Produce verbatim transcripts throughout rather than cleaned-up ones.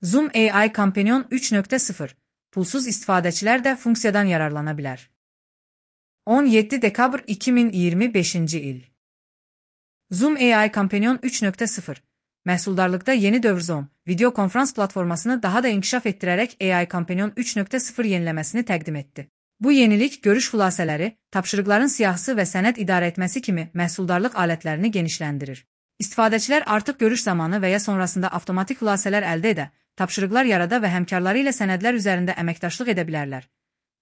Zoom A I Companion üç nöqtə sıfır. Pulsuz istifadəçilər də funksiyadan yararlana bilər. on yeddi dekabr iki min iyirmi beşinci il. Zoom A I Companion üç nöqtə sıfır. Məhsuldarlıqda yeni dövr Zoom, video konferans platformasını daha da inkişaf etdirərək A I Companion üç nöqtə sıfır yeniləməsini təqdim etdi. Bu yenilik görüş xülasələri, tapşırıqların siyahısı və sənəd idarə etməsi kimi məhsuldarlıq alətlərini genişləndirir. İstifadəçilər artıq görüş zamanı və ya sonrasında avtomatik xülasələr əldə edə, tapşırıqlar yarada və həmkarları ilə sənədlər üzərində əməkdaşlıq edə bilərlər.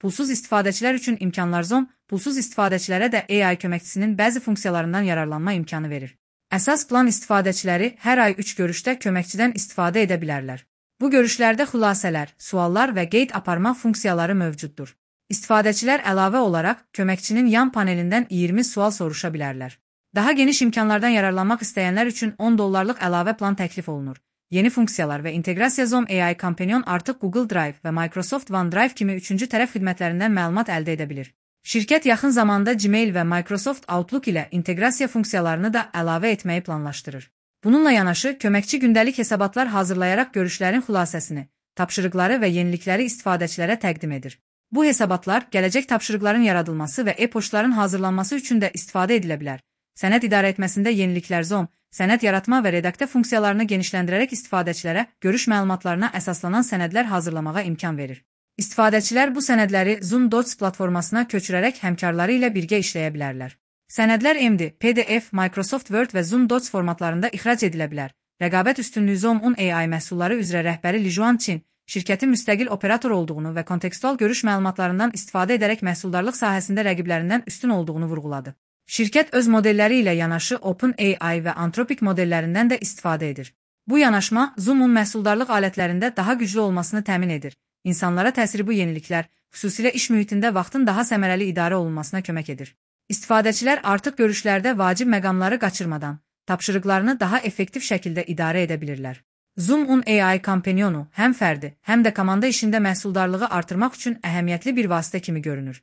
Pulsuz istifadəçilər üçün imkanlar Zoom, pulsuz istifadəçilərə də A I köməkçisinin bəzi funksiyalarından yararlanma imkanı verir. Əsas plan istifadəçiləri hər ay üç görüşdə köməkçidən istifadə edə bilərlər. Bu görüşlərdə xülasələr, suallar və qeyd aparma funksiyaları mövcuddur. İstifadəçilər əlavə olaraq köməkçinin yan panelindən iyirmi sual soruşa bilərlər. Daha geniş imkanlardan yararlanmaq istəyənlər üçün on dollarlıq əlavə plan təklif olunur. Yeni funksiyalar və inteqrasiya Zoom A I Companion artıq Google Drive və Microsoft OneDrive kimi üçüncü tərəf xidmətlərindən məlumat əldə edə bilir. Şirkət yaxın zamanda Gmail və Microsoft Outlook ilə inteqrasiya funksiyalarını da əlavə etməyi planlaşdırır. Bununla yanaşı, köməkçi gündəlik hesabatlar hazırlayaraq görüşlərin xülasəsini, tapşırıqları və yenilikləri istifadəçilərə təqdim edir. Bu hesabatlar gələcək tapşırıqların yaradılması və e-poçtların hazırlanması üçün də istifadə edilə bilər. Sənəd idarə etməsində yeniliklər Zoom, sənəd yaratma və redaktə funksiyalarını genişləndirərək istifadəçilərə görüş məlumatlarına əsaslanan sənədlər hazırlamağa imkan verir. İstifadəçilər bu sənədləri Zoom Docs platformasına köçürərək həmkarları ilə birgə işləyə bilərlər. Sənədlər M D, P D F, Microsoft Word və Zoom Docs formatlarında ixrac edilə bilər. Rəqabət üstünlüyü Zoom-un A I məhsulları üzrə rəhbəri Lijuan Qin, şirkətin müstəqil operator olduğunu və kontekstual görüş məlumatlarından istifadə edərək məhsuldarlıq sahəsində rəqiblərindən üstün olduğunu vurğuladı. Şirkət öz modelləri ilə yanaşı OpenAI və Anthropic modellərindən də istifadə edir. Bu yanaşma Zoom-un məhsuldarlıq alətlərində daha güclü olmasını təmin edir. İnsanlara təsiri bu yeniliklər, xüsusilə iş mühitində vaxtın daha səmərəli idarə olunmasına kömək edir. İstifadəçilər artıq görüşlərdə vacib məqamları qaçırmadan, tapşırıqlarını daha effektiv şəkildə idarə edə bilirlər. Zoom-un A I Companionu həm fərdi, həm də komanda işində məhsuldarlığı artırmaq üçün əhəmiyyətli bir vasitə kimi görünür.